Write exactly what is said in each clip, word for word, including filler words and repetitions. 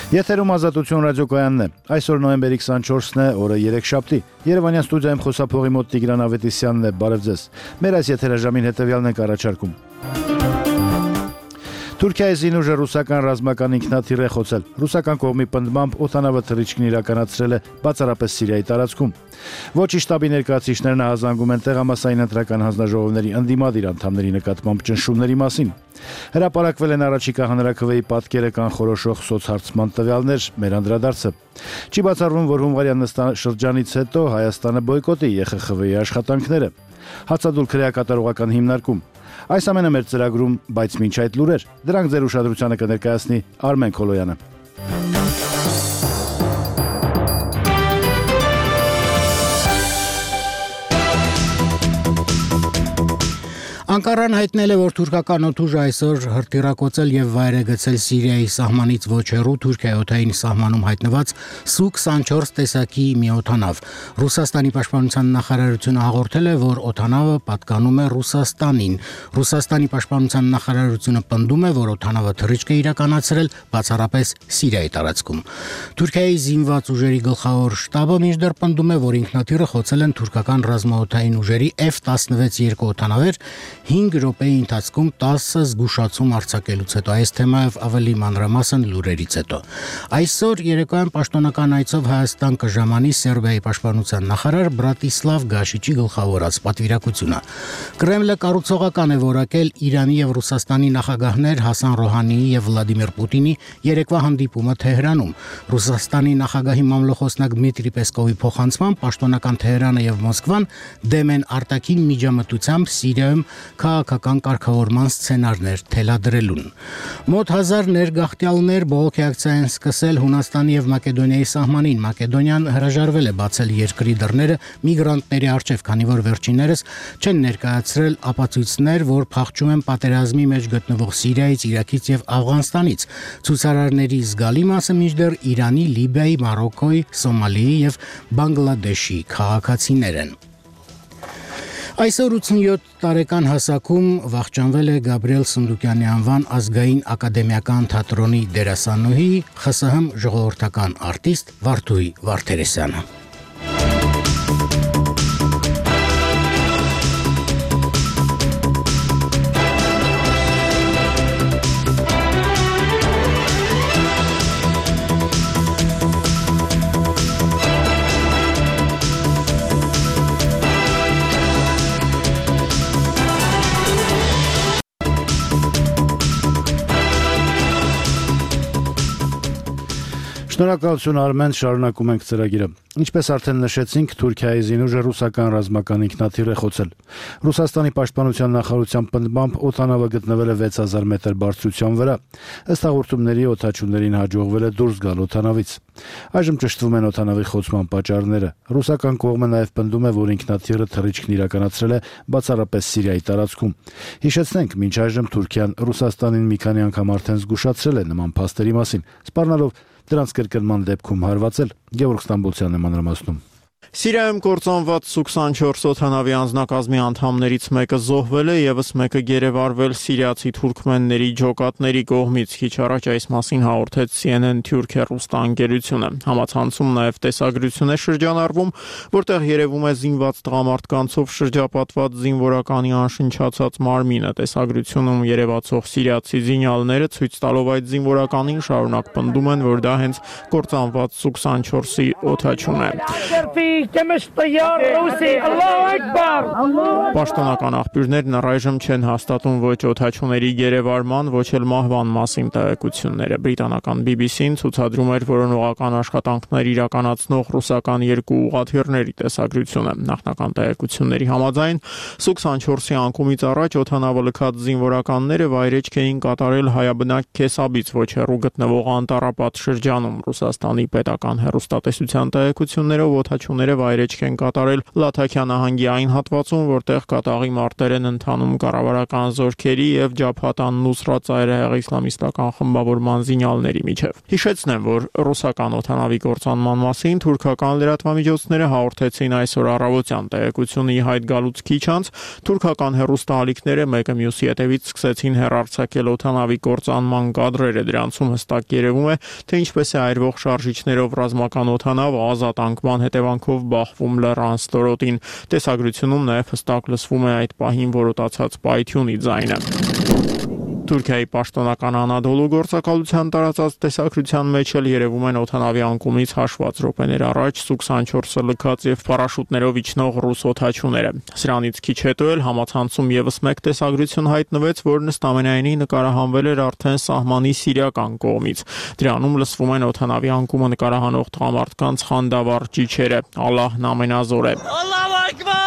Եթերում Ազատություն ռադիոկայանն է։ Այսօր նոյեմբերի քսանչորսն է, օրը երեքշաբթի։ Երևանյան ստուդիայում խոսափողի մոտ Տիգրան Ավետիսյանն է, բարև ձեզ։ Մեր այս եթերաժամին հետևյալն ենք առաջարկում։ Թուրքիայի զինուժը ռուսական ռազմական ինքնաթիռ է խոցել։ Ռուսական կողմի պնդմամբ օդանավը թռիչքն իրականացրել է բացառապես Սիրիայի տարածքում։ Ոչի շտաբի ներկայացուցիչներն ահազանգում են տեղամասային ընտրական հանձնաժողովների ընդդիմադիր անդամների նկատմամբ ճնշումների մասին։ Հրապարակվել են առաջիկա հանրաքվեի պատկերը կանխորոշող սոցհարցման տվյալներ, մեր անդրադարձը։ Չի բացառվում, որ հունվարյան նստաշրջանից հետո Հայաստանը բոյկոտի Է Խ Խ Վի աշխատանքները։ Հացադուլ քրեակատարողական հիմնարկում։ Այս ամենը մեր ծրագրում, բայց մինչ այդ լուրեր, դրանք ձեր ուշադրությանը կներկայացնի Արմեն Քոլոյանը։ Անկարան հայտնել է, որ թուրքական օդուժը այսօր հրթիռակոծել եւ վայր է գցել Սիրիայի սահմանից ոչ հեռու Թուրքիայի օդային սահմանում հայտնված Սու քսանչորս տեսակի մի օդանավ։ Ռուսաստանի պաշտպանության նախարարությունը հաղորդել է, որ օդանավը պատկանում է Ռուսաստանին։ Ռուսաստանի պաշտպանության նախարարությունը պնդում է, որ օդանավը թռիչք է իրականացրել բացառապես Սիրիայի տարածքում։ Թուրքիայի զինված ուժերի գլխավոր շտաբը մինչդեռ պնդում է, որ ինքնաթիռը խոցել են թուրքական ռազմաօդային ուժերի Էֆ տասնվեց երկու օդանավեր հինգ րոպեի ընթացքում տասը զգուշացում արձակելուց հետո։ Այս թեմայով ավելի մանրամասն լուրերից հետո։ Այսօր երեկոյան պաշտոնական այցով Հայաստան կժամանի Սերբիայի պաշտպանության նախարար Բրատիսլավ Գաշիչի գլխավորած պատվիրակությունը։ Կրեմլը կառուցողական է որակել Իրանի եւ Ռուսաստանի նախագահներ Հասան Ռոհանիի եւ Վլադիմիր Պուտինի երեկվա հանդիպումը Թեհրանում։ Ռուսաստանի նախագահի մամլոխոսնակ Դմիտրի Պեսկովի փոխանցմամբ պաշտոնական Թեհրանը եւ Մոսկվան դեմ են արտաքին միջամտությամբ Սիրիայում քաղաքական կարգավորման սցենարներ թելադրելուն։ Մոտ հազար ներգաղթյալներ բողոքի ակցիա են սկսել Հունաստանի եւ Մակեդոնիայի սահմանին։ Մակեդոնիան հրաժարվել է բացել երկրի դռները միգրանտների առջև, քանի որ վերջիններս չեն ներկայացրել ապացույցներ, որ փախչում են պատերազմի մեջ գտնվող Սիրիայից, Իրաքից եւ Աֆղանստանից։ Ցուցարարների զգալի մասը մինչդեռ Իրանի, Լիբիայի, Մարոկկոյի, Սոմալիի եւ Բանգլադեշի քաղաքացիներ են։ Այսօր ութսունյոթ տարեկան հասակում վախճանվել է Գաբրիել Սնդուկյանի անվան ազգային ակադեմիական թատրոնի դերասանուհի Խ Ս Հ ժողովրդական արտիստ Վարդուհի Վարդերեսյանը։ Շնորհակալություն Արմեն, շարունակում ենք ծրագիրը։ Ինչպես արդեն նշեցինք, Թուրքիայի զինուժը ռուսական ռազմական ինքնաթիռ է խոցել։ Ռուսաստանի պաշտպանության նախարարության պնդմամբ օդանավը գտնվել է վեց հազար մետր բարձրության վրա։ Ըստ հաղորդումների օդաչուներին հաջողվել է դուրս գալ օդանավից։ Այժմ ճշտվում են օդանավի խոցման պատճառները։ Ռուսական կողմը նաև պնդում է, որ ինքնաթիռը թռիչքն իրականացրել է բացառապես Սիրիայի տարածքում։ Հիշեցնենք, մինչ այժմ Թուրքիան Ռուսաստանին մի քանի անգամ արդեն զգուշացրել է նման փաստերի մասին, սպառնալով դրանց կրկնման դեպքում հարվածել։ Գևորգ Ստամբոլցյանն է մանրամասնում։ Սիրիայում կործանված Սու քսանչորս օդանավի անձնակազմի անդամներից մեկը զոհվել է, ևս մեկը գերեվարվել սիրիացի թուրքմենների ջոկատների կողմից։ Քիչ առաջ այս մասին հաղորդեց C N N Թուրքիա ռուստաընկերությունը։ Համացանցում նաև տեսագրություն է շրջանառվում, որտեղ երևում է զինված տղամարդկանցով շրջապատված զինվորականի անշնչացած մարմինը։ Տեսագրությունում երևացող սիրիացի զինյալները ցույց տալով այդ զինվորականին շարունակ պնդում են, որ դա հենց կործանված Սու քսանչորսի օդաչուն է։ Պաշտոնական աղբյուրներն առայժմ չեն հաստատում ոչ օդաչուների գերեվարման, ոչ էլ մահվան մասին տեղեկությունները։ Բրիտանական B B C-ն ցուցադրում էր որոնողական աշխատանքներ իրականացնող ռուսական երկու ուղղաթիռների տեսագրությունը։ Նախնական տեղեկությունների համաձայն Սու քսանչորսի անկումից առաջ օդանավը լքած զինվորականները վայրեջք էին կատարել հայաբնակ Քեսաբից ոչ հեռու գտնվող Անտարապատ շրջանում։ Ռուսաստանի պետական հեռուստատեսության տեղեկություններով օդաչուները զինվորները վայրեջք են կատարել Լաթաքիա նահանգի այն հատվածում, որտեղ կատաղի մարտեր են ընթանում կառավարական զորքերի եւ Ջաբհաթ ան-Նուսրատ ծայրահեղ իսլամիստական խմբավորման զինյալների միջև։ Հիշեցնեմ, որ ռուսական օդանավի կործանման մասին թուրքական լրատվամիջոցները հաղորդեցին այսօր առավոտյան տեղեկությունը ի հայտ գալուց քիչ անց թուրքական հեռուստաալիքները մեկը մյուսի հետևից սկսեցին հեռարձակել օդանավի կործանման կադրերը։ Դրանցում հստակ երևում է, թե ինչպես է այրվող շարժիչներով ռազմական օդանավը ազատանկման հետևանքով բախվում լեռան ստորոտին։ Տեսագրությունում նաև հստակ լսվում է այդ պահին որոտացած պայթյունի ձայնը։ Թուրքիայի պաշտոնական Անադոլու գործակալության տարածած տեսագրության մեջ էլ երևում են օդանավի անկումից հաշված րոպեներ առաջ Սու քսանչորսը լքած եւ պարաշուտներով իջնող ռուս օդաչուները։ Սրանից քիչ հետո էլ համացանցում եւս մեկ տեսագրություն հայտնվեց, որն ըստ ամենայնի նկարահանվել էր արդեն սահմանի սիրիական կողմից։ Դրանում լսվում են օդանավի անկումը նկարահանող տղամարդկանց խանդավառ ճիչերը։ Ալլահն ամենազոր է։ Ալլահու ակբար։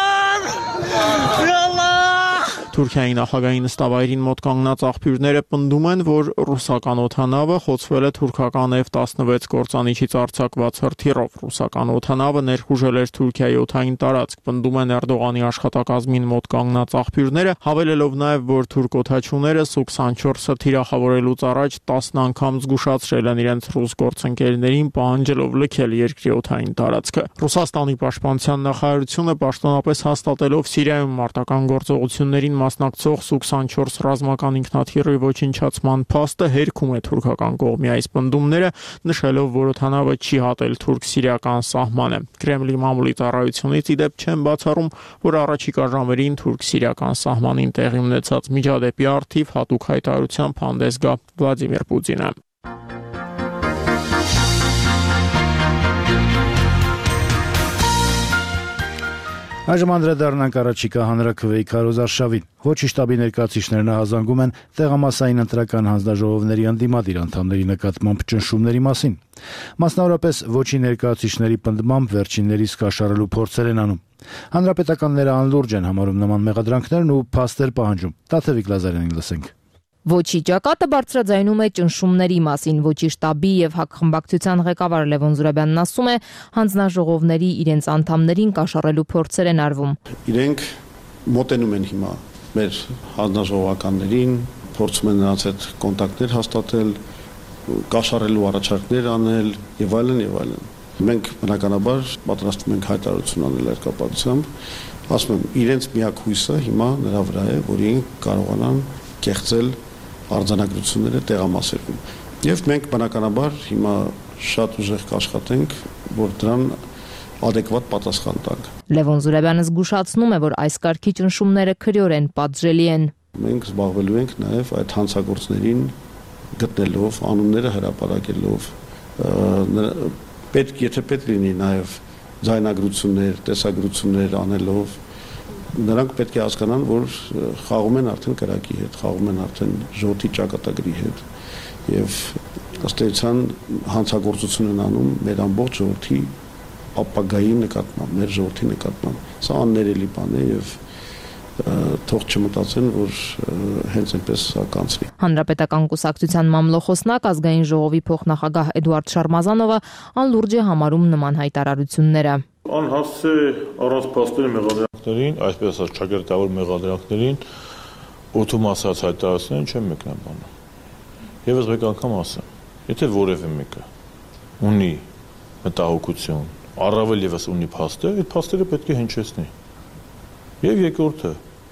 Թուրքիայի նախագահի նստավայրին մոտ կանգնած աղբյուրները պնդում են, որ ռուսական օդանավը խոցվել է թուրքական Էֆ տասնվեց կործանիչից արձակված հրթիռով։ Ռուսական օդանավը ներխուժել էր Թուրքիայի օդային տարածք, պնդում են Էրդողանի աշխատակազմին մոտ կանգնած աղբյուրները, հավելելով նաև, որ թուրք օդաչուները Սու քսանչորսը թիրախավորելուց առաջ տասն անգամ զգուշացրել են իրենց ռուս գործընկերներին, պահանջելով լքել երկրի օդային տարածքը։ Ռուսաստանի պաշտպանության նախարարությունը պաշտոնապես հաստատելով Սիրիայում մարտական գործողություններին մասնակցող Սու քսանչորս ռազմական ինքնաթիռի ոչնչացման փաստը հերքում է թուրքական կողմի այս պնդումները, նշելով, որ օդանավը չի հատել թուրք-սիրիական սահմանը։ Կրեմլի մամուլի ծառայությունից ի դեպ չեն բացառում, որ առաջիկա ժամերին թուրք-սիրիական սահմանին տեղի ունեցած միջադեպի առթիվ հատուկ հայտարարությամբ հանդես գա Վլադիմիր Պուտինը։ Այժմ անդրադառնանք առաջիկա հանրաքվեի քարոզարշավին։ Ոչի շտաբի ներկայացուցիչներն ահազանգում են տեղամասային ընտրական հանձնաժողովների ընդդիմադիր անդամների նկատմամբ ճնշումների մասին։ Մասնավորապես ոչի ներկայացուցիչների պնդմամբ վերջիններից կաշառելու փորձեր են անում։ Հանրապետականները անլուրջ են համարում նման մեղադրանքներն ու փաստեր պահանջում։ Տաթևիկ Լազարյանին լսենք։ Ոչի ճակատը բարձրաձայնում է ճնշումների մասին։ Ոչի շտաբի եւ հակխմբակցության ղեկավար Լևոն Զուրաբյանն ասում է, հանձնաժողովների իրենց անդամներին կաշառելու փորձեր են արվում։ Իրենք մոտենում են հիմա մեր հանձնաժողովականներին, փորձում են նրանց հետ կոնտակտներ հաստատել, կաշառելու առաջարկներ անել եւ այլն եւ այլն։ Մենք բնականաբար պատրաստվում ենք հայտարարություն անել այդ կապակցությամբ, ասում եմ, իրենց միակ հույսը հիմա նրա վրա է, որ իրենք կարողանան կեղծել արձանագրությունները տեղամասերում։ Եվ մենք բնականաբար հիմա շատ ուժեղ կաշխատենք, որ դրան adekvat պատասխան տանք։ Լևոն Զուրաբյանը զգուշացնում է, որ այս կարգի ճնշումները քրեորեն պատժելի են։ Մենք զբաղվելու ենք նաև այդ հանցագործներին գտնելով, անունները հրապարակելով, պետք, եթե պետք լինի նաև ձայնագրություններ, տեսագրություններ անելով, նրանք պետք է հասկանան, որ խաղում են արդեն կրակի հետ, խաղում են արդեն ժողովրդի ճակատագրի հետ եւ ըստ էության հանցագործություն են անում մեր ամբողջ ժողովրդի ապագայի նկատմամբ, մեր ժողովրդի նկատմամբ։ Սա աններելի բան է եւ թող չմտածեն, որ հենց այնպես կանցնի։ Հանրապետական կուսակցության մամլոխոսնակ ազգային ժողովի փոխնախագահ Էդուարդ Շարմազանովը անլուրջ է համարում նման հայտարարությունները։ Անհասց է առանց փաստերի մեղադրանքներին, այսպես ասած ճակերտավոր մեղադրանքներին օդում ասած հայտարարություններին չեմ մեկնաբանում։ Եվս մեկ անգամ ասեմ, եթե որևէ մեկը ունի մտահոգություն, առավել եւս ունի փաստեր, այդ փաստերը պետք է հնչեցնի։ Եվ երկրորդը,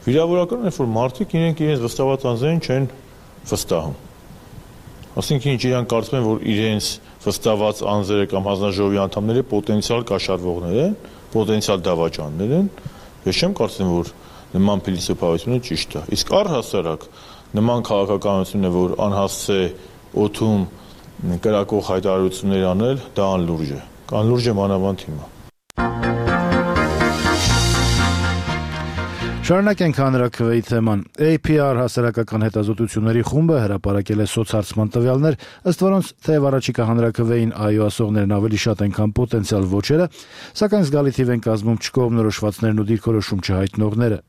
վիրավորական է, որ մարդիկ իրենք իրենց վստահված անձերին չեն վստահում։ Այսինքն ինչ իրանք կարծում են, որ իրենց վստահված անձերը կամ հանձնաժողովի անդամները պոտենցիալ կաշառվողներ են, պոտենցիալ դավաճաններ են, ես չեմ կարծում, որ նման փիլիսոփայությունը ճիշտ է։ Իսկ առհասարակ նման քաղաքականություն է, որ անհասց է օդում կրակող հայտարարություններ անել, դա անլուրջ է։ Անլուրջ է մանավանդ հիմա։ Շարունակենք հանրաքվեի թեման։ A P R հասարակական հետազոտությունների խումբը հրապարակել է սոցհարցման տվյալներ, ըստ որոնց թեև առաջիկա հանրաքվեին այո ասողներն ավելի շատ են, քան պոտենցիալ ոչերը, սակայն զգալի թիվ են կազմում չկողմնորոշվածներն ու դիրքորոշում չհայտնողները։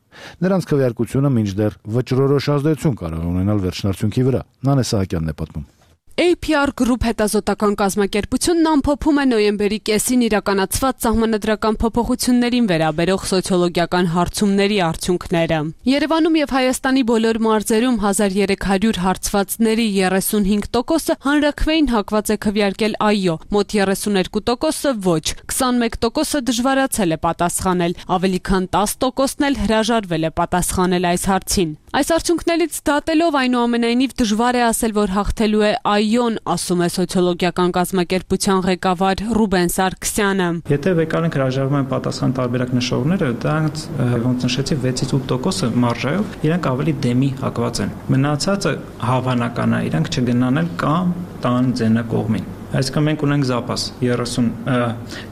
Նրանց քվեարկությունը մինչդեռ վճռորոշ ազդեցություն կարող է ունենալ վերջնարդյունքի վրա։ Նանե Սահակյանն է պատմում։ A P R Group հետազոտական կազմակերպությունն ամփոփում է նոյեմբերի կեսին իրականացված սահմանադրական փոփոխություններին վերաբերող սոցիոլոգիական հարցումների արդյունքները։ Երևանում եւ Հայաստանի բոլոր մարզերում հազար երեք հարյուր հարցվածների երեսունհինգ տոկոսը հանրաքվեին հակված է քվեարկել այո, մոտ երեսուներկու տոկոսը ոչ, քսանմեկ տոկոսը դժվարացել է պատասխանել, ավելի քան տասը տոկոսն էլ հրաժարվել է պատասխանել այս հարցին։ Այս արդյունքներից դատելով այնուամենայնիվ դժվար է ասել, որ հաղթելու է այոն, ասում է սոցիոլոգիական կազմակերպության ղեկավար Ռուբեն Սարգսյանը։ Եթե վեկարենք հրաժարվում են պատասխան տարբերակ նշողները, դրանց ոնց նշեցի վեցից ութ տոկոսը մարժայով իրենք ավելի դեմի հակված են։ Մնացածը հավանական է, իրենք չգնան էլ կամ տան ձենը կողմին։ Այսինքն մենք ունենք զապաս երեսուն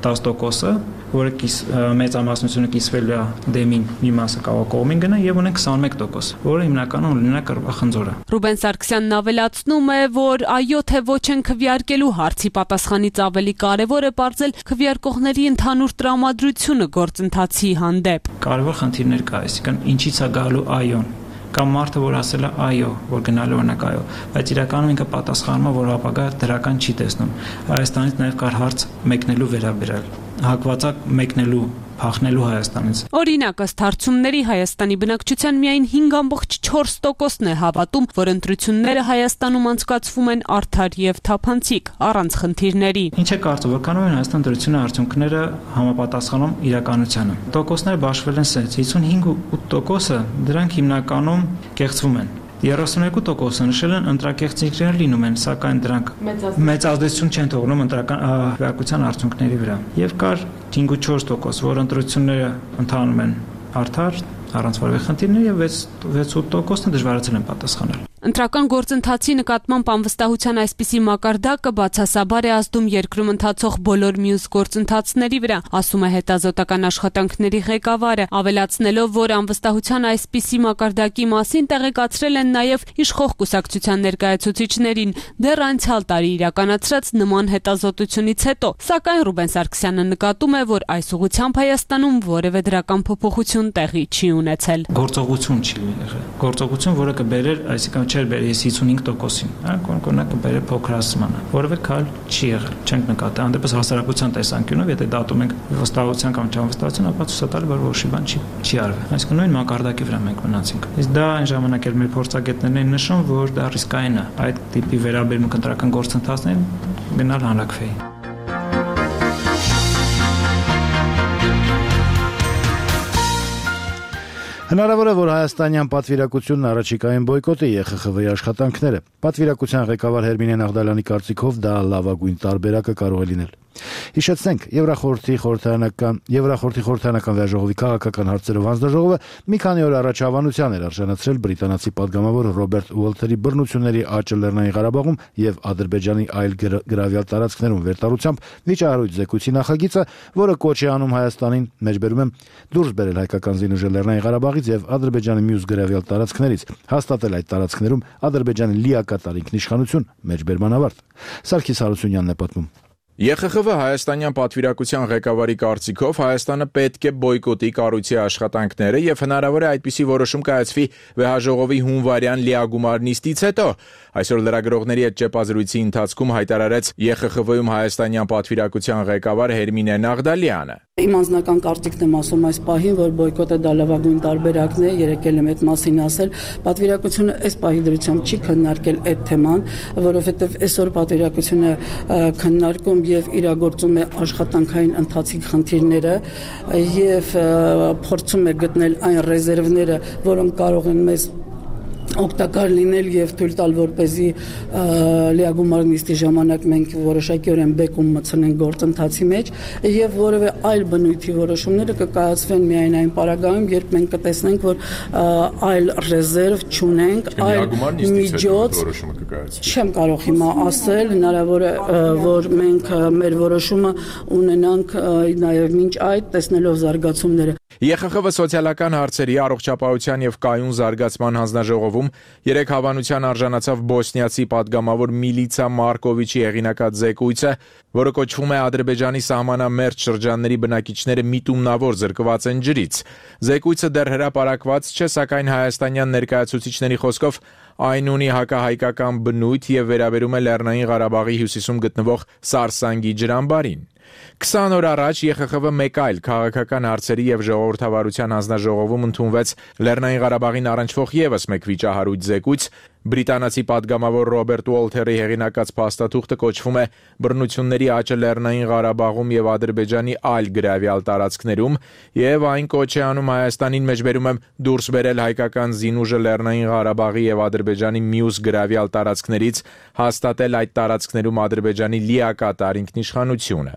տասը տոկոսը, որը մեծամասնությունը կիսվելու է դեմին մի մասը կարող կողմին գնա եւ ունենք քսանմեկ տոկոս, որը հիմնականում ունենա կռվախնձորը։ Ռուբեն Սարգսյանն ավելացնում է, որ այո թե ոչ են քվեարկելու հարցի պատասխանից ավելի կարևոր է բարձել քվեարկողների ընդհանուր տրամադրությունը գործընթացի հանդեպ։ Կարևոր խնդիրներ կա, այսինքն ինչից է գալու այոն կամ մարդը որ ասել է այո, որ գնալու օրինակ այո, բայց իրականում ինքը պատասխանում է, որ ապագա դրական չի տեսնում։ Հայաստանից նաև կար հարց մեկնելու վերաբերյալ, հակվածակ մեկնելու փախնելու Հայաստանից։ Օրինակ, ըստ հարցումների Հայաստանի բնակչության միայն հինգ ամբողջ չորս տոկոսն է հավատում, որ ընտրությունները Հայաստանում անցկացվում են արդար եւ թափանցիկ, առանց խնդիրների։ Ինչ է կարծում, որքանով են Հայաստան դրությունը արդյունքները համապատասխանում իրականությանը։ Տոկոսները բաշխվել են սենց, հիսունհինգ ու ութ տոկոսը դրանք հիմնականում կեղծվում են։ երեսուներկու տոկոսը նշել են ընտրակեղծիքներ լինում են, սակայն դրանք մեծ ազդեցություն չեն թողնում ընտրական քվեարկության արդյունքների վրա։ Եվ կար հինգ ու չորս տոկոս, որ ընտրությունները ընթանում են արդար, առանց որևէ խնդիրների եւ վեց ութ տոկոսն դժվարացել են պատասխանել։ Ընտրական գործընթացի նկատմամբ անվստահության այսպիսի մակարդակը բացասաբար է ազդում երկրում ընթացող բոլոր մյուս գործընթացների վրա, ասում է հետազոտական աշխատանքների ղեկավարը, ավելացնելով, որ անվստահության այսպիսի մակարդակի մասին տեղեկացրել են նաև իշխող կուսակցության ներկայացուցիչներին դեռ անցյալ տարի իրականացրած նման հետազոտությունից հետո, սակայն Ռուբեն Սարգսյանը նկատում է, որ այս ուղղությամբ Հայաստանում որևէ դրական փոփոխություն տեղի չի ունեցել։ Գործողություն չի եղել։ Գործողություն, որը կբերեր, այսինքն չէր բերես հիսունհինգ տոկոսին, հա, կոնկրետ կբերե փոքրացմանը, որովե քայլ չի եղել, չենք նկատի, հանդեպս հասարակության տեսանկյունով, եթե դատում ենք վստահության կամ չանվստահություն, ապա ցույց տալի, որ որոշի բան չի չի արվել։ Այսինքն նույն մակարդակի վրա մենք մնացինք։ Իսկ դա այն ժամանակ էլ մեր փորձագետներն են նշում, որ դա ռիսկային է այդ տիպի վերաբերմունք ընտրական գործընթացներին գնալ հանրաքվեի։ Հնարավոր է, որ հայաստանյան պատվիրակությունն առաջիկային բոյկոտի Է Խ Խ Վի աշխատանքները։ Պատվիրակության ղեկավար Հերմինե Նաղդալյանի կարծիքով դա լավագույն տարբերակը կարող է լինել։ Հիշեցնենք, Եվրախորհրդի խորհրդարանական Եվրախորհրդի խորհրդարանական վեաժողովի քաղաքական հարցերով հանձնաժողովը մի քանի օր առաջ հավանության էր արժանացրել բրիտանացի падգամավոր Ռոբերտ Ուոլթերի բռնությունների աճը Լեռնային Ղարաբաղում եւ Ադրբեջանի այլ գրավյալ տարածքներում վերտարությամբ վիճահարույց զեկույցի նախագիծը, որը կոչ է անում Հայաստանին, մեջբերում եմ, դուրս բերել հայկական զինուժը Լեռնային Ղարաբաղից եւ Ադրբեջանի մյուս գրավյալ տարածքներից, հաստատել այդ տարածքներում Ադրբեջանի լիակատար ինքնիշխանություն, մեջբերման ավարտ։ Սարգիս Հարությունյանն է պատմում։ Է Խ Խ Վի հայաստանյան պատվիրակության ղեկավարի կարծիքով Հայաստանը պետք է բոյկոտի կառույցի աշխատանքները եւ հնարավոր է այդպիսի որոշում կայացվի վեհաժողովի հունվարյան լիագումար նիստից հետո։ Այսօր լրագրողների հետ ճեպազրույցի ընթացքում հայտարարեց Է Խ Խ Վի-ում հայաստանյան պատվիրակության ղեկավար Հերմինե Նաղդալյանը։ Իմ անձնական կարծիքն եմ ասում այս պահին, որ բոյկոտը դա լավագույն տարբերակն է, երեկել եմ այդ մասին ասել։ Պատվիրակությունը այս պահի դրությամբ չի քննարկել այդ թեման, որովհետև այսօր պատվիրակությունը քննարկում եւ իրագործում է աշխատանքային ընթացիկ խնդիրները եւ փորձում է գտնել այն ռեզերվները, որոնք կարող են մեզ օգտակար լինել եւ թույլ տալ, որպեսզի լիագումար նիստի ժամանակ մենք որոշակիորեն բեկում մտցնենք գործընթացի մեջ եւ որևէ այլ բնույթի որոշումները կկայացվեն միայն այն պարագայում, երբ մենք կտեսնենք, որ այլ ռեզերվ չունենք, այլ միջոց չեմ կարող հիմա ասել, հնարավոր է, որ մենք մեր որոշումը ունենանք նաեւ մինչ այդ տեսնելով զարգացումները։ Է Խ Խ V սոցիալական հարցերի առողջապահության եւ կայուն զարգացման հանձնաժողովում երեք հավանության արժանացավ բոսնիացի падգամավոր Միլիցա Մարկովիչի հեղինակած զեկույցը, որը կոչվում է Ադրբեջանի սահմանամերձ շրջանների բնակիչները միտումնավոր զրկված են ջրից։ Զեկույցը դեռ հրապարակված չէ, սակայն հայաստանյան ներկայացուցիչների խոսքով այն ունի հակահայկական բնույթ եւ վերաբերում է Լեռնային Ղարաբաղի հյուսիսում գտնվող Սարսանգի ջրամբարին։ քսան օր առաջ Է Խ Խ V մեկ այլ քաղաքական հարցերի եւ ժողովրդավարության հանձնաժողովում ընդունվեց Լեռնային Ղարաբաղին առնչվող եւս մեկ վիճահարույց զեկույց։ Բրիտանացի падգամավոր Ռոբերտ Ուոլթերի հեղինակած փաստաթուղթը կոչվում է «Բռնությունների աճը Լեռնային Ղարաբաղում եւ Ադրբեջանի այլ գրավյալ տարածքներում» եւ այն կոչ է անում Հայաստանին մեջբերում եմ դուրս բերել հայկական զինուժը Լեռնային Ղարաբաղի եւ Ադրբեջանի մյուս գրավյալ տարածքներից, հաստատել այդ տարածքներում Ադրբեջանի լիակատար ինքնիշխանությունը։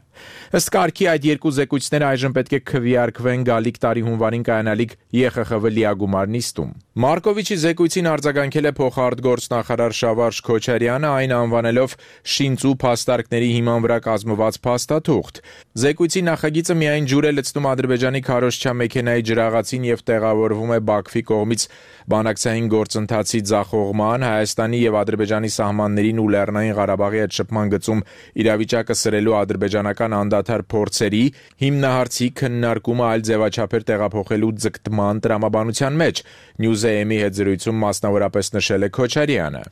Ըստ կարգի այդ երկու զեկույցները այժմ պետք է քվեարկվեն գալիք տարի հունվարին կայանալիք Է Խ Խ V լիագումար նիստում։ Մարկովիչի զեկույցին արձագանքել է փոխարտգործնախարար Շավարժ Քոչարյանը, այն անվանելով շինծու փաստարկների հիման վրա կազմված փաստաթուղթ։ Զեկույցի նախագիծը միայն ջուր է լցնում Ադրբեջանի քարոզչա մեքենայի ջրաղացին եւ տեղավորվում է Բաքվի կողմից բանակցային գործընթացի ձախողման, Հայաստանի եւ Ադրբեջանի սահմաններին ու Լեռնային Ղարաբաղի հետ շփման գծում իրավիճակը սրելու ադրբեջանական անդադար փորձերի, հիմնահարցի քննարկումը այլ ձևաչափեր տեղափոխելու ձգտման տրամաբանության մեջ, Նյուզեեմի հետ զրույցում մասնավորապես նշել է Քոչարյանը։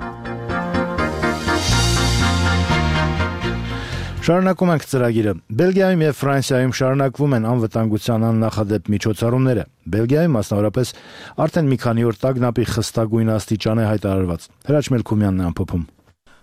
Շարունակում ենք ծրագիրը։ Բելգիայում եւ Ֆրանսիայում շարունակվում են անվտանգության աննախադեպ միջոցառումները։ Բելգիայում մասնավորապես արդեն մի քանի օր տագնապի խստագույն աստիճան է հայտարարված։ Հրաչ Մելքումյանն է ամփոփում։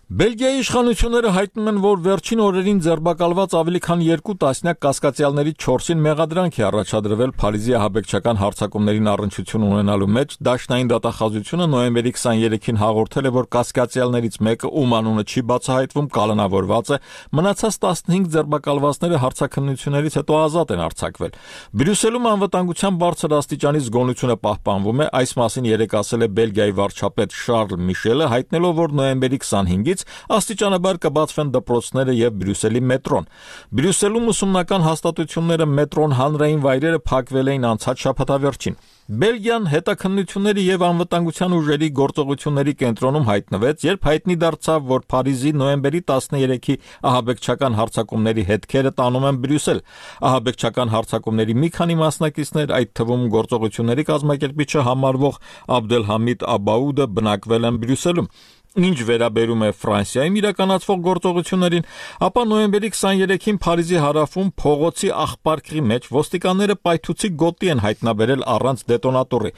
Բելգիայի իշխանությունները հայտնում են, որ վերջին օրերին ձերբակալված ավելի քան երկու տասնյակ կասկածյալներից չորսին մեղադրանք է առաջադրվել Փարիզի ահաբեկչական հարձակումներին առնչություն ունենալու մեջ։ Դաշնային դատախազությունը նոյեմբերի քսաներեքին հաղորդել է, որ կասկածյալներից մեկը, ում անունը չի բացահայտվում, կալանավորված է, մնացած տասնհինգ ձերբակալվածները հարցաքննություններից հետո ազատ են արձակվել։ Բրյուսելում անվտանգության բարձր աստիճանի զգոնությունը պահպանվում է, այս մասին երեկ ասել է Բելգիայի վարչապետ Շարլ Միշելը, հայտնելով, որ նոյեմբերի քսանհինգից աստիճանաբար կբացվեն դպրոցները եւ Բրյուսելի մետրոն։ Բրյուսելում ուսումնական հաստատությունները, մետրոն, հանրային վայրերը փակվել էին անցած շաբաթավերջին։ Բելգիան հետաքննությունների եւ անվտանգության ուժերի գործողությունների կենտրոնում հայտնվեց, երբ հայտնի դարձավ, որ Փարիզի նոյեմբերի տասներեքի ահաբեկչական հարձակումների հետքերը տանում են Բրյուսել։ Ահաբեկչական հարձակումների մի քանի մասնակիցներ, այդ թվում գործողությունների կազմակերպիչը համարվող Աբդելհամիդ Աբաուդը, բնակվել են Բրյուսելում։ Ինչ վերաբերում է Ֆրանսիայում իրականացվող գործողություններին, ապա նոյեմբերի քսաներեքին Փարիզի հարավում փողոցի աղբարկի մեջ ոստիկանները պայթուցիկ գոտի են հայտնաբերել առանց դետոնատորի։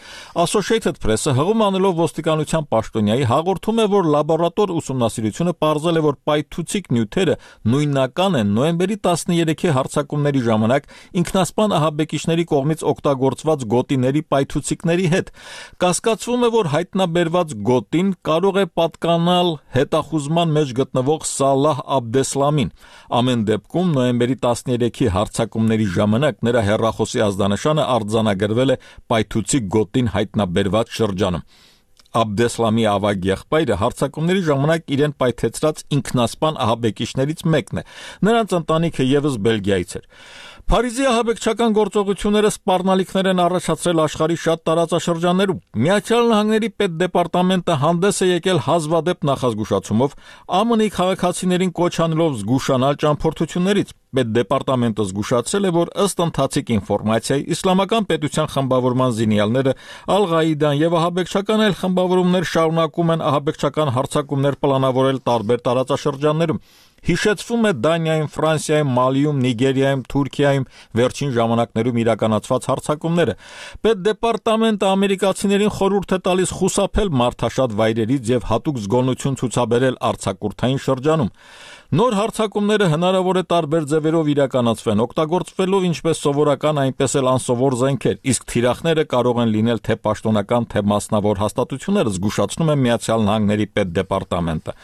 Associated Press-ը հղում անելով ոստիկանության պաշտոնյայի հաղորդում է, որ լաբորատոր ուսումնասիրությունը պարզել է, որ պայթուցիկ նյութերը նույնական են նոյեմբերի տասներեքի հարձակումների ժամանակ ինքնասպան ահաբեկիչների կողմից օգտագործված գոտիների պայթուցիկների հետ։ Կասկածվում է, որ հայտնաբերված գոտին կարող է պատկանալ հետախուզման մեջ գտնվող Սալահ Աբդեսլամին։ Ամեն դեպքում նոյեմբերի տասներեքի հարձակումների ժամանակ նրա հեռախոսի ազդանշանը արձանագրվել է պայթուցիկ գոտին հայտնաբերված շրջանում։ Աբդեսլամի ավագ եղբայրը հարձակումների ժամանակ իրեն պայթեցրած ինքնասպան ահաբեկիչներից մեկն է։ Նրանց ընտանիքը եւս Բելգիայից էր։ Փարիզի ահաբեկչական գործողությունները սպառնալիքներ են առաջացրել աշխարհի շատ տարածաշրջաններում։ Միացյալ Նահանգների պետդեպարտամենտը հանդես է եկել հազվադեպ նախազգուշացումով, ԱՄՆ-ի քաղաքացիներին կոչ անելով զգուշանալ ճամփորդություններից։ Պետդեպարտամենտը զգուշացրել է, որ ըստ ընթացիկ ինֆորմացիայի իսլամական պետության խմբավորման զինյալները, Ալ-Ղաիդան եւ ահաբեկչական այլ խմբավորումներ շարունակում են ահաբեկչական հարձակումներ պլանավորել տարբեր տարածաշրջաններում։ Հիշեցվում է Դանիայում, Ֆրանսիայում, Մալիում, Նիգերիայում, Թուրքիայում վերջին ժամանակներում իրականացված հարձակումները։ Պետդեպարտամենտը ամերիկացիներին խորհուրդ է տալիս խուսափել մարդաշատ վայրերից եւ հատուկ զգոնություն ցուցաբերել արձակուրդային շրջանում։ Նոր հարձակումները հնարավոր է տարբեր ձևերով իրականացվեն, օգտագործվելով ինչպես սովորական, այնպես էլ անսովոր զենքեր, իսկ թիրախները կարող են լինել թե պաշտոնական, թե մասնավոր հաստատություններ, զգուշացնում է Միացյալ Նահանգների պետդեպարտամենտը։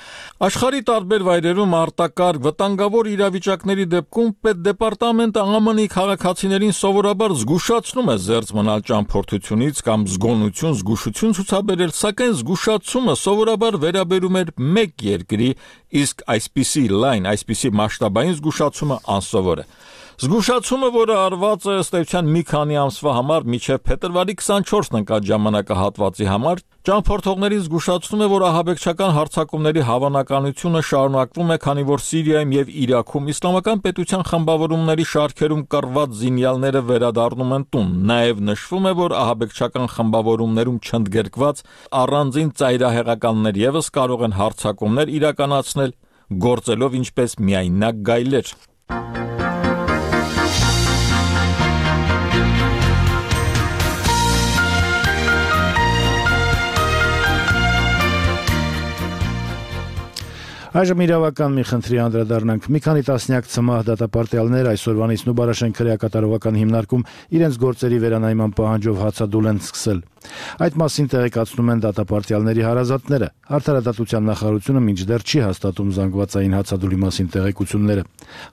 Աշխարհի տարբեր վայրերում արտակարգ վտանգավոր իրավիճակների դեպքում պետդեպարտամենտը ԱՄՆ-ի քաղաքացիներին սովորաբար զգուշացնում է զերծ մնալ ճամփորդությունից կամ զգոնություն, զգուշություն ցուցաբերել, սակայն զգուշացումը սովորաբար վերաբերում էր մեկ երկրի, իսկ այսպիսի լայն, այսպիսի մասշտաբային զգուշացումը անսովոր է։ Զգուշացումը, որը արված է ըստ էության մի քանի ամսվա համար մինչև փետրվարի քսանչորսն ընկած ժամանակահատվածի համար, ճամփորդողներին զգուշացնում է, որ ահաբեկչական հարձակումների հավանականությունը շարունակվում է, քանի որ Սիրիայում եւ Իրաքում իսլամական պետության խմբավորումների շարքերում կռված զինյալները վերադառնում են տուն։ Նաեւ նշվում է, որ ահաբեկչական խմբավորումներում չընդգրկված առանձին ծայրահեղականներ եւս կարող են հարձակումներ իրականացնել, գործելով ինչպես միայնակ գայլեր։ Այժմ իրավական մի խնդրի անդրադառնանք։ Մի քանի տասնյակ ցմահ դատապարտյալներ այսօրվանից Նուբարաշեն քրեակատարողական հիմնարկում իրենց գործերի վերանայման պահանջով հացադուլ են սկսել։ Այդ մասին տեղեկացնում են դատապարտյալների հարազատները։ Արդարադատության նախարարությունը մինչդեռ չի հաստատում զանգվածային հացադուլի մասին տեղեկությունները։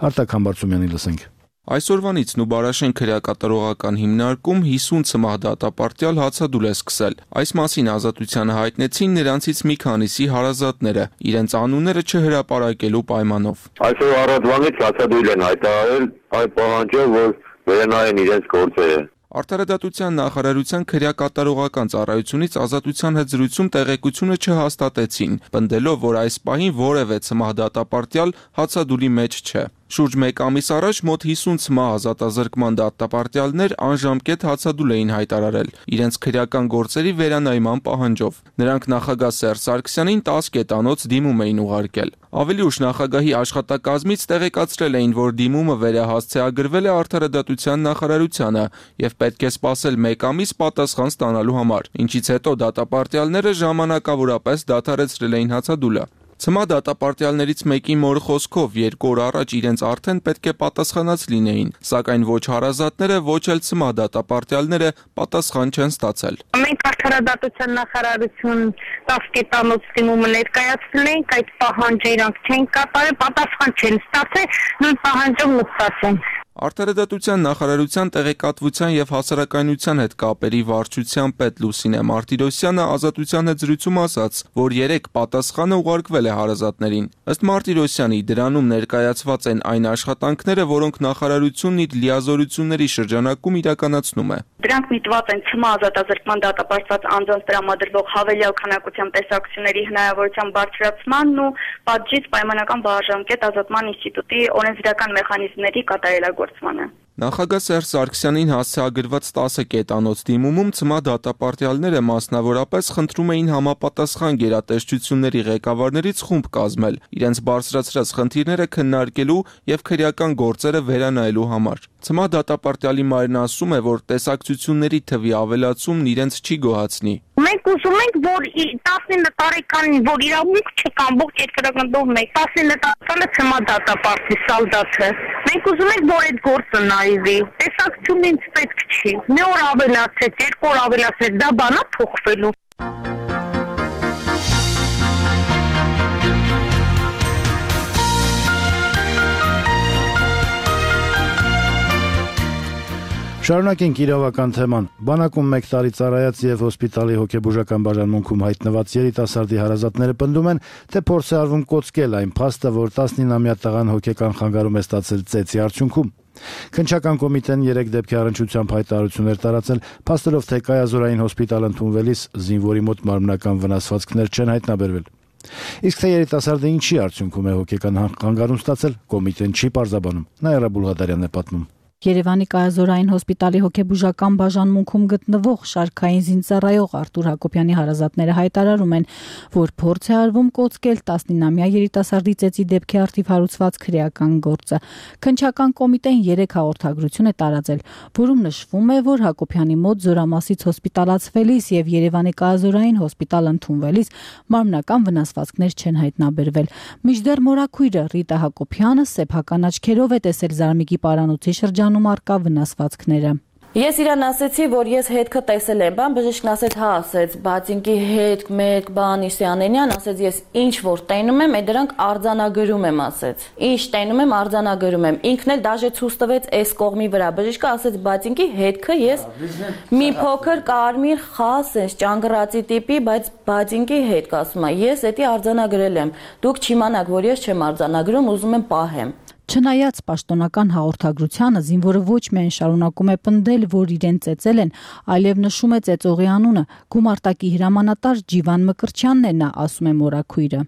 Արտակ Համբարձումյանի լսենք։ Այսօրվանից Նուբարաշեն քրեակատարողական հիմնարկում հիսուն ցմահ դատապարտյալ հացադուլ է սկսել։ Այս մասին ազատությանը հայտնեցին նրանցից մի քանիսի հարազատները, իրենց անունները չհրապարակելու պայմանով։ Այսօր առավոտվանից հացադուլ են հայտարարել այդ պահանջով, որ վերանայեն իրենց գործերը։ Արդարադատության նախարարության քրեակատարողական ծառայությունից ազատության հետ զրույցում տեղեկությունը չհաստատեցին, պնդելով, որ այս պահին որևէ ցմահ դատապարտյալ հացադուլի մեջ չէ։ Շուրջ մեկ ամիս առաջ մոտ հիսուն ցմահ ազատազրկման դատապարտյալներ անժամկետ հացադուլ էին հայտարարել իրենց քրեական գործերի վերանայման պահանջով։ Նրանք նախագահ Սերժ Սարգսյանին տասը կետանոց դիմում էին ուղարկել։ Ավելի ուշ նախագահի աշխատակազմից տեղեկացրել էին, որ դիմումը վերահասցեագրվել է Արդարադատության նախարարությանը եւ պետք է սպասել մեկ ամիս պատասխան ստանալու համար, ինչից հետո դատապարտյալները ժամանակավորապես դադարեցրել էին հացադուլը։ Ցմահ դատապարտյալներից մեկի մոր խոսքով երկու օր առաջ իրենց արդեն պետք է պատասխանած լինեին, սակայն ոչ հարազատները, ոչ էլ ցմահ դատապարտյալները պատասխան չեն ստացել։ Մենք Արդարադատության նախարարություն տասը կետանոց դիմումը ներկայացրել ենք, այդ պահանջը իրանք չեն կատարել, պատասխան չեն ստացել, նույն պահանջով մտած են։ Արդարադատության նախարարության տեղեկատվության եւ հասարակայնության հետ կապերի վարչության պետ Լուսինե Մարտիրոսյանը ազատության հետ զրույցում ասաց, որ երեք պատասխանը ուղարկվել է հարազատներին։ Ըստ Մարտիրոսյանի, դրանում ներկայացված են այն աշխատանքները, որոնք նախարարությունն իր լիազորությունների շրջանակում իրականացնում է։ Դրանք միտված են ցմահ ազատազրկման դատապարտված անձանց տրամադրվող հավելյալ քանակությամբ տեսակցությունների հնարավորության բարձրացմանն ու պատժից պայմանական բաժանկետ ազատման ինստիտուտի օրենսդրական մեխանիզմների կատարելագործմանը։ Նախագահ Սերժ Սարգսյանին հասցեագրված տասը կետանոց դիմումում ցմահ դատապարտյալները մասնավորապես խնդրում էին համապատասխան գերատեսչությունների ղեկավարներից խումբ կազմել, իրենց բարձրացրած խնդիրները քննարկելու եւ քրեական գործերը վերանայելու համար։ Ցմահ դատապարտյալի մայրն ասում է, որ տեսակցությունների թվի ավելացումն իրենց չի գոհացնի։ Մենք ուզում ենք, որ տասնինը տարեկանին, որ իրավունք չկա ամբողջ երկրագնդով մեկ, տասնինը տարեկանը ցմահ դատապարտի սալդաթը։ Մենք ուզում ենք, որ այդ գործը նայվի։ Տեսակցություն ինձ պետք չի։ Մի օր ավելացեց, երկու օր ավելացեց, դա բան է փոխվելու։ Շարունակենք իրավական թեման։ Բանակում մեկ տարի ծառայած եւ հոսպիտալի հոգեբուժական բաժանմունքում հայտնված երիտասարդի հարազատները պնդում են, թե փորձ է արվում կոծկել այն փաստը, որ տասնինամյա տղան հոգեկան խանգարում է ստացել ծեծի արդյունքում։ Քննչական կոմիտեն երեք դեպքի առնչությամբ հայտարարություններ տարածել, փաստելով, թե կայազորային հոսպիտալ ընդունվելիս զինվորի մոտ մարմնական վնասվածքներ չեն հայտնաբերվել։ Իսկ թե երիտասարդը ինչի արդյունքում է հոգեկան խանգարում ստացել, կոմիտեն չի պարզաբանում։ Նաիրա Բուլղադարյանն է պատմում։ Երևանի կայազորային հոսպիտալի հոգեբուժական բաժանմունքում գտնվող շարքային զինծառայող Արտուր Հակոբյանի հարազատները հայտարարում են, որ փորձ է արվում կոծկել տասնինամյա երիտասարդի ծեծի դեպքի առթիվ հարուցված քրեական գործը։ Քննչական կոմիտեն երեք հաղորդագրություն է տարածել, որում նշվում է, որ Հակոբյանի մոտ Զորամասից հոսպիտալացվելիս եւ Երևանի կայազորային հոսպիտալ ընդունվելիս մարմնական վնասվածքներ չեն հայտնաբերվել։ Մինչդեռ մորաքույրը Ռիտա Հակոբյանը սեփական աչքերով է տեսել Զարմիկի պարանոցի շրջան արկա վնասվածքները։ Ես իրան ասեցի, որ ես հետքը տեսել եմ, բան բժիշկն ասեց, հա, ասեց, բայց ինքի հետ, մեկ, բան, Իսյանենյան, ասեց, ես ինչ որ տենում եմ, այդ դրանք արձանագրում եմ, ասեց։ Ինչ տենում եմ, արձանագրում եմ։ Ինքն էլ դաժե ցույց տվեց այս կողմի վրա։ Բժիշկը ասեց, բայց ինքի հետքը ես մի փոքր կարմիր խաս, այս ճանգռացի տիպի, բայց բայց ինքի հետք ասում է, ես էդի արձանագրել եմ։ Դուք չիմանաք, որ ես չեմ արձանագրում, ուզում եմ պահեմ։ Չնայած պաշտոնական հաղորդագրությանը զինվորը ոչ միայն շարունակում է պնդել, որ իրեն ծեծել են, այլև նշում է ծեծողի անունը։ Գումարտակի հրամանատար Ջիվան Մկրտչյանն է նա, ասում է մորաքույրը։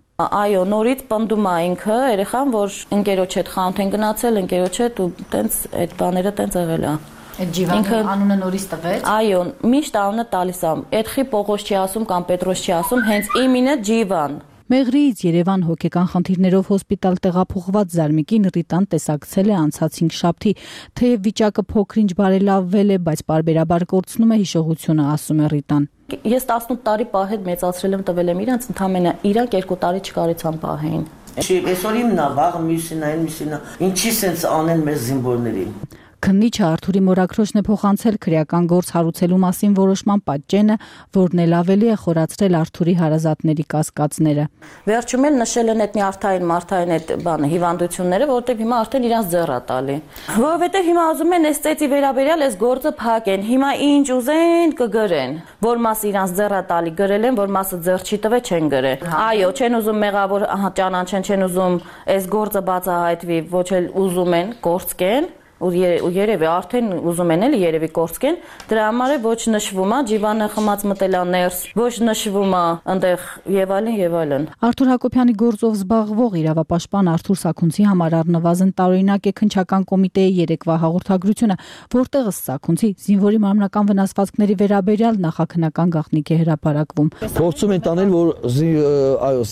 Այո, նորից պնդում է ինքը երեխան, որ ընկերոջ հետ խանութ են գնացել, ընկերոջ հետ ու տենց այդ բաները տենց եղել է։ Այդ Ջիվանի անունը նորից տվեց։ Այո, միշտ անունը տալիս է։ Էդխի Պողոս չի ասում կամ Պետրոս չի ասում, հենց իմինը Ջիվան։ Մեղրիից Երևան հոգեկան խնդիրներով հոսպիտալ տեղափոխված Զարմիկին Ռիտան տեսակցել է անցած հինգշաբթի, թեև վիճակը փոքր-ինչ բարելավվել է, բայց պարբերաբար կորցնում է հիշողությունը, ասում է Ռիտան։ Ես տասնութ տարի պահետ մեծացրել եմ, տվել եմ իրանց, ընդամենը իրանք երկու տարի չկարեցան պահեին։ Չի, այսօր իմն է, վաղը մյուսին է, մյուսին է։ Ինչի սենց անեն մեր զինվորներին։ Քննիչը Արթուրի մորաքրոջն է փոխանցել քրեական գործ հարուցելու մասին որոշման պատճենը, որն էլ ավելի է խորացրել Արթուրի հարազատների կասկածները։ Վերջում էլ նշել են այդ նյարդային մարթային այդ բանը հիվանդությունները, որտեղ հիմա արդեն իրանց ձեռ է տալի։ Որովհետև հիմա ուզում են այս ծեծի վերաբերյալ այս գործը փակեն։ Հիմա ինչ ուզեն կգրեն։ Որ մասը իրանց ձեռ է տալի գրել են, որ մասը ձեռ չի տվել չեն գրել։ Այո, չեն ուզում մեղավոր ճանաչեն, չեն ուզում այս գործը բացահայտվի, ոչ էլ ուզում են կորցկեն։ Ու երևի արդեն ուզում են էլի երևի կորցկեն, դրա համար է ոչ նշվում է Ջիվանը խմած մտել է ներս, ոչ նշվում է այնտեղ եւ այլն եւ այլն։ Արթուր Հակոբյանի գործով զբաղվող իրավապաշտպան Արթուր Սաքունցի համար առնվազն տարօրինակ է քննչական կոմիտեի երեկվա հաղորդագրությունը, որտեղ ըստ Սաքունցի զինվորի մարմնական վնասվածքների վերաբերյալ նախաքննական գաղտնիք է հրապարակվում։ Փորձում են տանել, որ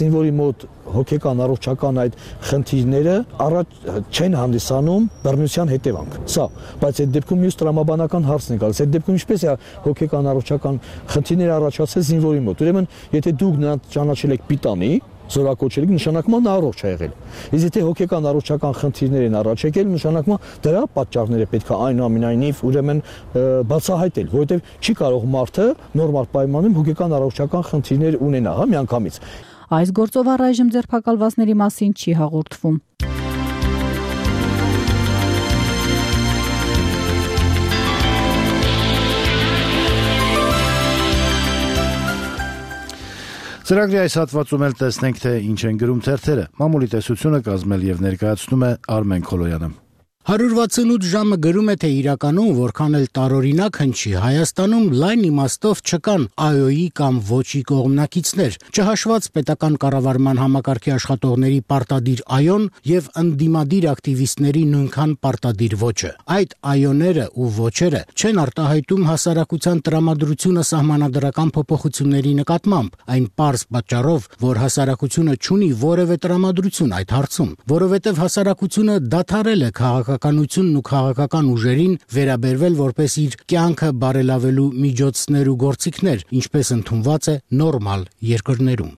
զինվորի մոտ հոգեկան առողջական այդ խնդիրները առաջ չեն հանդիսանում բռնության հետևանք։ Սա, բայց այդ դեպքում մյուս տրամաբանական հարցն է գալիս։ Այդ դեպքում ինչպես է հոգեկան առողջական խնդիրները առաջացել զինվորի մոտ։ Ուրեմն, եթե դուք նրան ճանաչել եք պիտանի, զորակոչել եք, նշանակում է նա առողջ է եղել։ Իսկ եթե հոգեկան առողջական խնդիրներ են առաջ եկել, նշանակում է դրա պատճառները պետք է այնուամենայնիվ ուրեմն բացահայտել, որովհետև չի կարող մարդը նորմալ պայմաններում հոգեկան առողջական խնդիրներ ունենա, հա, միանգամից։ Այս գործով առայժմ ձերբակալվածների մասին չի հաղորդվում։ Ծրագրի այս հատվածում էլ տեսնենք, թե ինչ են գրում թերթերը։ Մամուլի տեսությունը կազմել եւ ներկայացնում է Արմեն Քոլոյանը։ հարյուր վաթսունութ ժամը գրում է, թե իրականում որքան էլ տարօրինակ հնչի, Հայաստանում լայն իմաստով չկան ԱՅՈ-ի կամ ոչի կողմնակիցներ, չհաշված պետական կառավարման համակարգի աշխատողների պարտադիր ԱՅՈ-ն եւ ընդդիմադիր ակտիվիստների նույնքան պարտադիր ոչը։ Այդ ԱՅՈ-ները ու ոչերը չեն արտահայտում հասարակության տրամադրությունը սահմանադրական փոփոխությունների նկատմամբ, այն պարզ պատճառով, որ հասարակությունը չունի որևէ տրամադրություն այդ հարցում, որովհետեւ հասարակությունը դադարել է քաղաք քաղաքականությունն ու քաղաքական ուժերին վերաբերվել որպես իր կյանքը բարելավելու միջոցներ ու գործիքներ, ինչպես ընդունված է նորմալ երկրներում։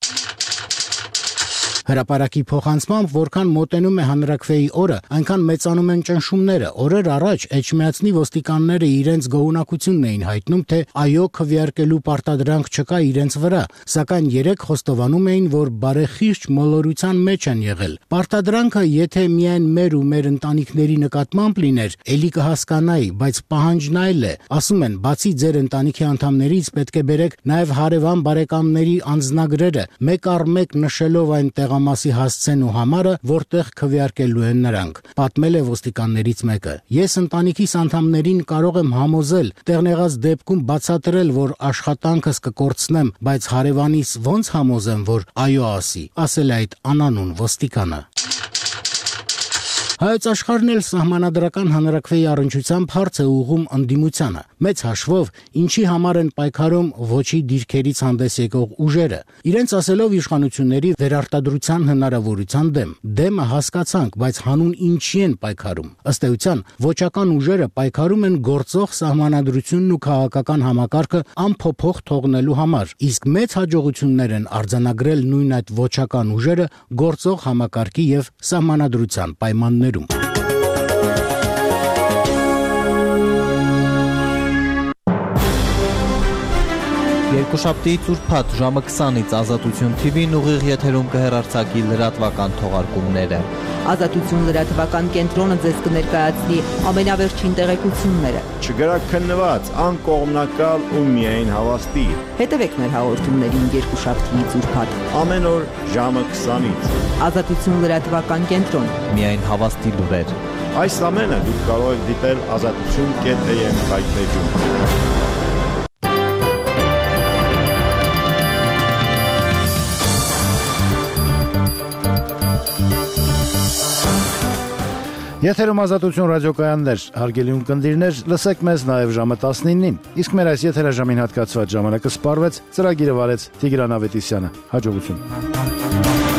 Հրապարակի փոխանցմամբ, որքան մոտենում է հանրաքվեի օրը, այնքան մեծանում են ճնշումները։ Օրեր առաջ էջմիածնի ոստիկանները իրենց գոհունակությունն էին հայտնում, թե այո, քվեարկելու պարտադրանք չկա իրենց վրա, սակայն երեք խոստովանում էին, որ բարեխիղճ մոլորության մեջ են եղել։ Պարտադրանքը, եթե միայն մեր ու մեր ընտանիքների նկատմամբ լիներ, էլի կհասկանայի, բայց պահանջն այլ է։ Ասում են, բացի ձեր ընտանիքի անդամներից պետք է բերեք նաև հարևան բարեկամների անձնագրերը, մեկ առ մեկ նշելով այն Մասի հասցեն ու համարը, որտեղ քվեարկելու են նրանք։ Պատմել է ոստիկաններից մեկը։ Ես ընտանիքիս անդամներին կարող եմ համոզել, տեղնեղած դեպքում բացատրել, որ աշխատանքս կկորցնեմ, բայց հարևանիս ոնց համոզեմ, որ այո ասի, ասել է այդ անանուն ոստիկանը։ Հայոց աշխարհն էլ սահմանադրական հանրաքվեի առնչությամբ հարց է ուղղում ընդդիմությանը։ Մեծ հաշվով, ինչի համար են պայքարում ոչի դիրքերից հանդես եկող ուժերը։ Իրենց ասելով իշխանությունների վերարտադրության հնարավորության դեմ։ Դեմը հասկացանք, բայց հանուն ինչի են պայքարում։ Ըստ էության, ոչական ուժերը պայքարում են գործող սահմանադրությունն ու քաղաքական համակարգը անփոփոխ թողնելու համար, իսկ մեծ հաջողություններ են արձանագրել նույն այդ ոչական ուժերը գործող համակարգի եւ սահմանադրության պայմաններում։ Երկուշաբթի ուրբաթ ժամը քսանից Ազատություն թի վին ուղիղ եթերում կհեռարձակի լրատվական թողարկումները։ Ազատություն լրատվական կենտրոնը ձեզ կներկայացնի ամենավերջին տեղեկությունները։ Չգրակ քննված, անկողմնակալ ու միայն հավաստի։ Հետևեք մեր հաղորդումներին երկուշաբթիից ուրբաթ։ Ամեն օր ժամը քսանից։ Ազատություն լրատվական կենտրոն։ Միայն հավաստի լուրեր։ Այս ամենը դուք կարող եք դիտել ազատություն կետ էյ էմ հայտնեջում։ Եթերում Ազատություն ռադիոկայաններ, հարգելի ունկնդիրներ, լսեք մեզ նաև ժամը տասնինին, իսկ մեր այս եթերաժամին հատկացված ժամանակը սպառվեց, ծրագիրը վարեց Տիգրան Ավետիսյանը, հաջողություն։